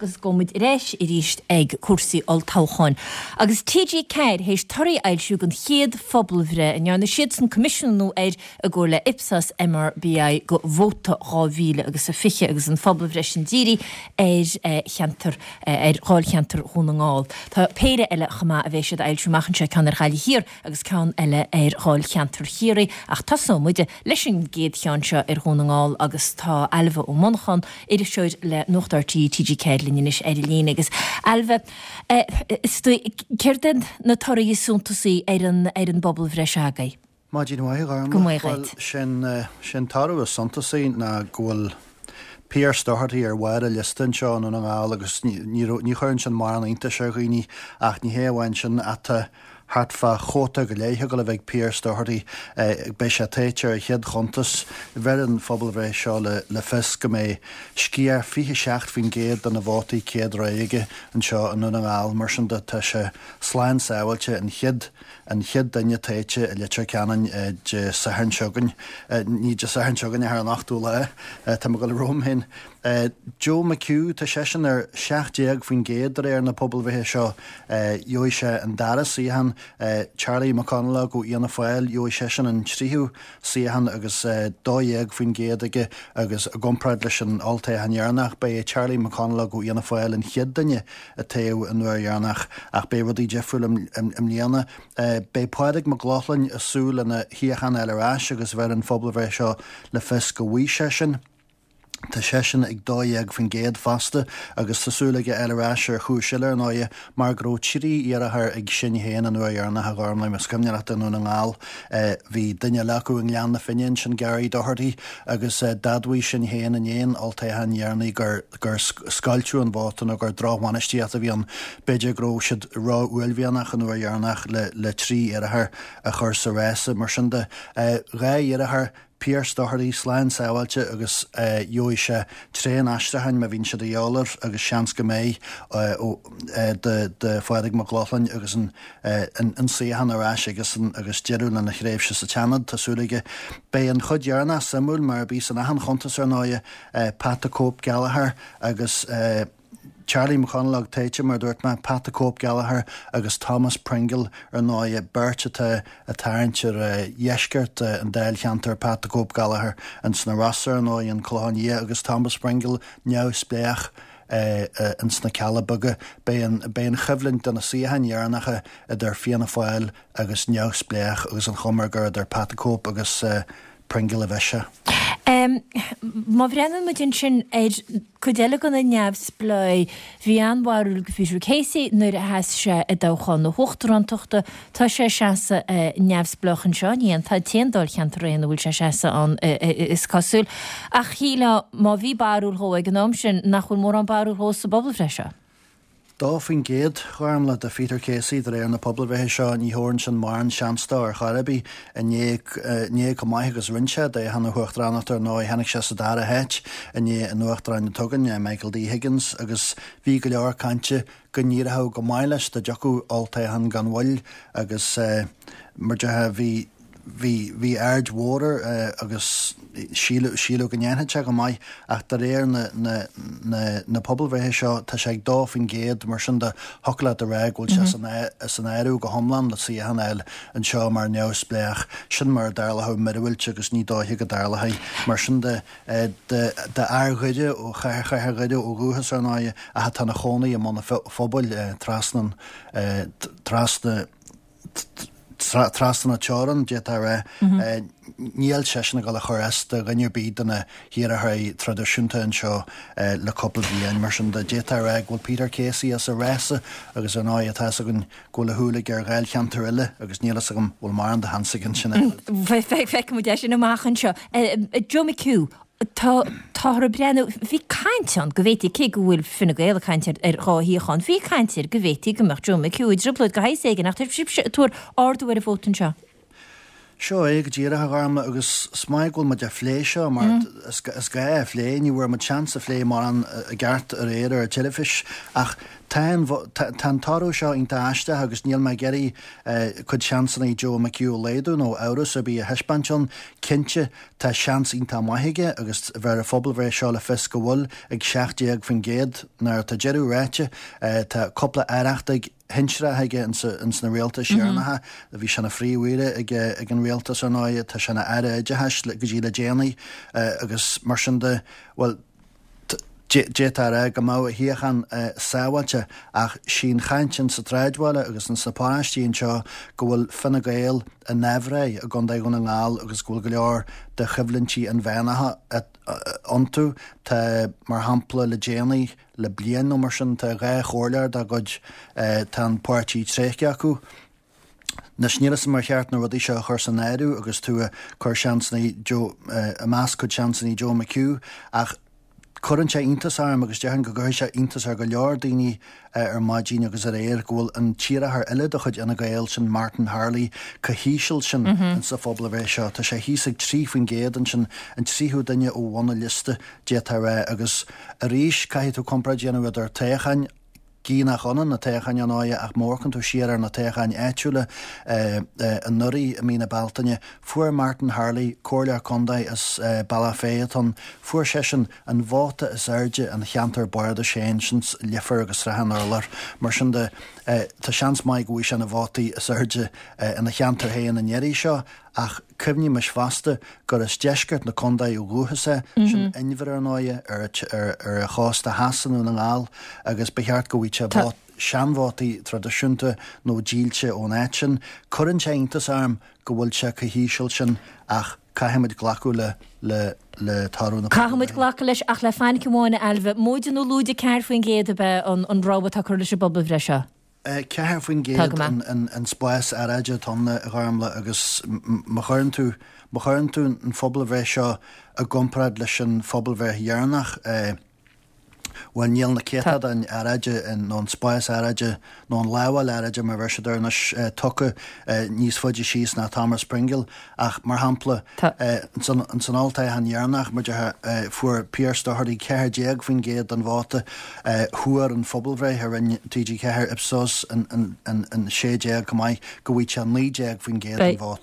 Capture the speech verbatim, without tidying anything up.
agus gabhfaidh muid ar ais arís ag cúrsaí olltoghcháin. Agus TG Ceathair théis torthaí a fhoilsiú den chéad phobalbhreith a ndearna siadsan coimisiúnú air i gcomhar le Ipsos MRBI go Vóta dhá mhíle agus a fiche agus an phobalbhreith sin dírithe ar cheantar ar dháilcheantar Dhún na nGall. Tá péire eile chomh maith a bheidh siad a fhoilsiú amach anseo, ceann ar Ghaillimh Thiar agus ceann eile ar dháilcheantar Chiarraí ach tosóidh muid leis an gcéad cheann seo ar Dhún na nGall agus tá Ailbhe Ó Monacháin, iriseoir le Nuacht RTÉ TG Ceathair linn anois ar an líne agus Ailbhe, céard iad na torthaí is suntasaí ar an ar an bpobalbhreith seo agaibh? Maidin mhaith, a Go Ghormlaith. maith Bhuel, dhuit. sin sin toradh is suntasaí ná go bhfuil Pearse Doherty ar bharr an liosta anseo i nDún na nGall agus ní ní ní chuireann sin mórán iontais ar dhaoine ach ní hé amháin sin ach tá thart fá chóta go leith ag dul a bheith ag Pearse Doherty. Beidh sé tofa ar a chéad chuntas. Bheir an phobalbhreith seo le le fios go mbeidh sciar fiche seacht faoin gcéad de na vótaí céad rogha aige anseo i nDún na nGall. Mar sin de tá sé slán sábháilte an chéad an chéad duine tofa i Leitir Ceanainn Dé Sathairn seo chugainn. Ní Dé Sathairn seo chugainn ach ar an ochtú lá. Tá mé ag dul romham féin. Joe McHugh, tá seisean ar seacht déag faoin gcéad de réir na pobalbhreithe seo. Gheobhaidh sé an dara suíochán. Charlie McConalogue ó Fhianna Fáil, gheobhaidh seisean an tríú suíochán agus dó dhéag faoin gcéad aige agus i gcomparáid leis an olltoghchán dheireanach, ba é Charlie McConalogue ó Fhianna Fáil an chéad duine a toghadh an uair dheireanach ach beidh rudaí difriúil i mbliana. Beidh Pádraig Mac Lochlainn ag súil lena shuíochán a fháil ar ais agus bheir an phobalbhreith seo le fios go bhfaighidh sé sin. Tá seisean ag dó dhéag faoin gcéad fosta agus tá súil aige fháil ar ais ar chúis eile ar ndóighe mar go raibh trí iarrthóir ag Sinn Féin an uair dheireanach a Ghormlaith, más cuimhin leat i nDún na nGall. Bhí duine eile acu i nGleann na Finne ansin, Gary Doherty, agus d'admhaigh Sinn Féin i ndiaidh an olltoghcháin dheireanaigh gur gur scoilteadh an vóta nó gur drochbhainistíocht a bhí ann. B'fhéidir go raibh siad ró-uaillmhianach an uair dheireanach le le trí iarrthóir a chur sa rása. Mar sin de, dhá iarrthóir, Pearse Doherty slán sábháilte agus gheobhaidh sé traein aistriúcháin má bhíonn sé de dhíobháil air agus seans go mbeidh do Phádraig Mac Lochlainn agus an an suíochán ar ais aigesan agus deireadh lena thréimhse sa tSeanad, tá súil aige. Beidh an chuid dheireanach suimiúil mar a bhí san achan chuntas ar ndóighe, Pat the Cope Gallagher agus Charlie McConalogue tofa mar a dúirt mé, Pat the Cope Gallagher agus Thomas Pringle ar ndóighe, beirt atá ag tarraingt ar dheisceart an dáilcheantair, Pat the Cope Gallagher ins na Rossa ar ndóighe, an Clochán Liath agus Thomas Pringle neamhspléach ins na Cealla Beaga. Beidh an beidh an choimhlint do na suíocháin dheireanacha idir Fianna Fáil agus neamhspléach agus an chuma gur idir Pat the Cope agus Pringle a bheidh sé. Má bhreathnaíonn muid ansin ar cuid eile de na neamhspleáigh, bhí an-bharúil ag Peter Casey nuair a sheas sé i dtoghchán na huachtarántachta. Tá sé ag seasamh neamhspleách anseo, ní an t-aon dáilcheantar é ina bhfuil sé ag seasamh ann is cosúil. Ach shílfeá má bhí barúil dhó ag an am sin nach bhfuil mórán barúil dhó sa bpobalbhreith seo. Dó faoin gcéad, a Ghormlaith, do Pheter Casey de réir na pobalbhreithe seo, ní thabharann sin mórán seans dó ar chor ar bith. I ndiaidh chomh maith agus rinne sé i dtoghchán na huachtaránachta ar ndóigh, tháinig sé sa dara háit i ndiaidh an uachtaráin atá againn, Michael D Higgins, agus bhí go leor cainte go n-éireodh go maith leis dá dtiocfadh olltoghchán gan mhoill agus mar a déarfá bhí Bhí, bhí aird mhór air agus síleadh, síleadh go ndéanfadh sé go maith ach de réir na, na, na, na pobalbhreithe seo tá sé ag dó faoin gcéad, mar sin de thiocfadh leat a rá go bhfuil sé san, san áireamh go hiomlán le suíochán a fháil anseo mar neamhspleách. Sin mura dtarlódh míorúilt agus ní dóiche go dtarlóidh. Mar sin de, de, d'fhear Dhoire ó chathair, chathair Dhoire ó dhúchas ar ndóighe ach atá ina chónaí i mBun an Phobail trasna an, trasna, Trasna na teorann, d'fhéadfá a rá. Níl seisean ag dul a chur as do dhuine ar bith de na hiarrthóirí traidisiúnta anseo le cúpla bliain. Mar sin de, d'fhéadfá a rá go bhfuil Peter Casey as an rása agus ar ndóigh tá a fhios againn go bhfuil a shúil aige ar dháilcheantair eile agus níl a fhios agam an bhfuil mórán de sheans aige ansin. Feicfidh muid é sin amach anseo. Joe McHugh, Tá, táthar ag breathnú, bhí caint ann go bhféadfaí, cé go bhfuil Fine Gael ag caint ar dhá shuíochán, bhí caint air go bhféadfaí go mbeadh Joe McHugh i dtrioblóid de shaghas éigin ach tá sibhse ag tuar ardú ar an vóta anseo. Seo é go díreach, a Ghormlaith, agus is maith go bhfuil muid á phlé seo mar is gá é a phlé, ní bhfuair muid seans a phlé mórán i gceart aréir ar an teilifís ach Tá an tá an toradh seo iontach aisteach agus níl mé ag iarraidh cuid seansanna Joe McHugh a laghdú nó amhras ar bith a thaispeáint ann. Cinnte, tá seans iontach maith aige agus bheir an phobalbhreith seo le fios go bhfuil ag seacht déag faoin gcéad. Nuair atá deireadh ráite, tá cúpla aireachtaí shinsearach aige ins na rialtais dheireanacha. Bhí sé ina phríomh-aoire ag an rialtas, ar ndóigh, tá sé ina aire oideachais go dtí le déanaí agus mar sin de, bhuel, d'fhéadfá a rá go mbeadh a shuíochán sábháilte ach sí an chaint ins an tsráidbhaile agus ins na paróistí anseo go bhfuil Fine Gael in aimhréidh i gContae Dhún na nGall agus go bhfuil go leor de choimhlintí inmheánacha iontu. Tá, mar shampla, le déanaí, le bliain nó mar sin, tá dhá chomhairleoir dá gcuid, tá an páirtí tréigthe acu. Anois, níl 'fhios a'm ar cheart na rudaí seo a chur san áireamh agus tú ag cur seansanna Joe, ag meas cuid seansanna Joe McHugh ach cuireann sé iontas orm agus déarfainn go gcuirfidh sé iontas ar go leor daoine ar maidin agus aréir go bhfuil an t-iarrthóir eile de chuid Fhine Gael, sin Martin Harley, chomh híseal sin insa phobalbhreith seo. Tá sé thíos ag trí faoin gcéad ansin, an tríú duine ó bhun an liosta, d'fhéadfá a rá. Agus arís, caithfidh tú comparáid a dhéanamh idir toghcháin, gidh nach ionann na toghcháin ar ndóighe ach má amharcann tú siar ar na toghcháin áitiúla anuraidh i mí na Bealtaine, fuair Martin Harley, comhairleoir contae as Bealach Féich atá ann, fuair seisean an vóta is airde ina cheantar bardais féin, sin Leifear agus Srath an Urláir. Mar sin de, tá seans maith go bhfaighidh sé na vótaí is airde ina cheantar féin an iarraidh seo. Ach cuimhnímis fosta gur as deisceart na contae ó dhúchas é, sin inbhear ar ndóighe, ar ar an chósta theas i nDún na nGall agus ba cheart go bhfaigheadh sé seanvótaí traidisiúnta nó dílse ón áit sin. Cuireann sé iontas orm go bhfuil sé chomh híseal sin ach caithfimid glacadh le le le toradh na Caithfimid glacadh leis ach le fainic amháin a Ailbhe, móide nó lúide ceathair faoin gcéad ab ea an rogha atá curtha leis an bpobalbhreith seo? Ceathair faoin gcéad an spás earráide atá ann, a Ghormlaith, agus má chuireann tú, má chuireann tú an phobalbhreith seo i gcomparáid leis an phobalbhreith dheireanach, bhuel, níl na céatadáin earráide nó an spás earráide nó an lamháil earráide, mar a bheir siad air anois, tugtha níos faide síos ná Thomas Pringle. Ach, mar shampla, ins an olltoghchán dheireanach, mar a déarfá, fuair Pearse Doherty ceathair déag faoin gcéad den vóta. Thuar an phobalbhreith a rinne T G ceathair, Ipsos, an sé déag chomh maith, go bhfaigheadh sé naoi déag faoin gcéad den vóta.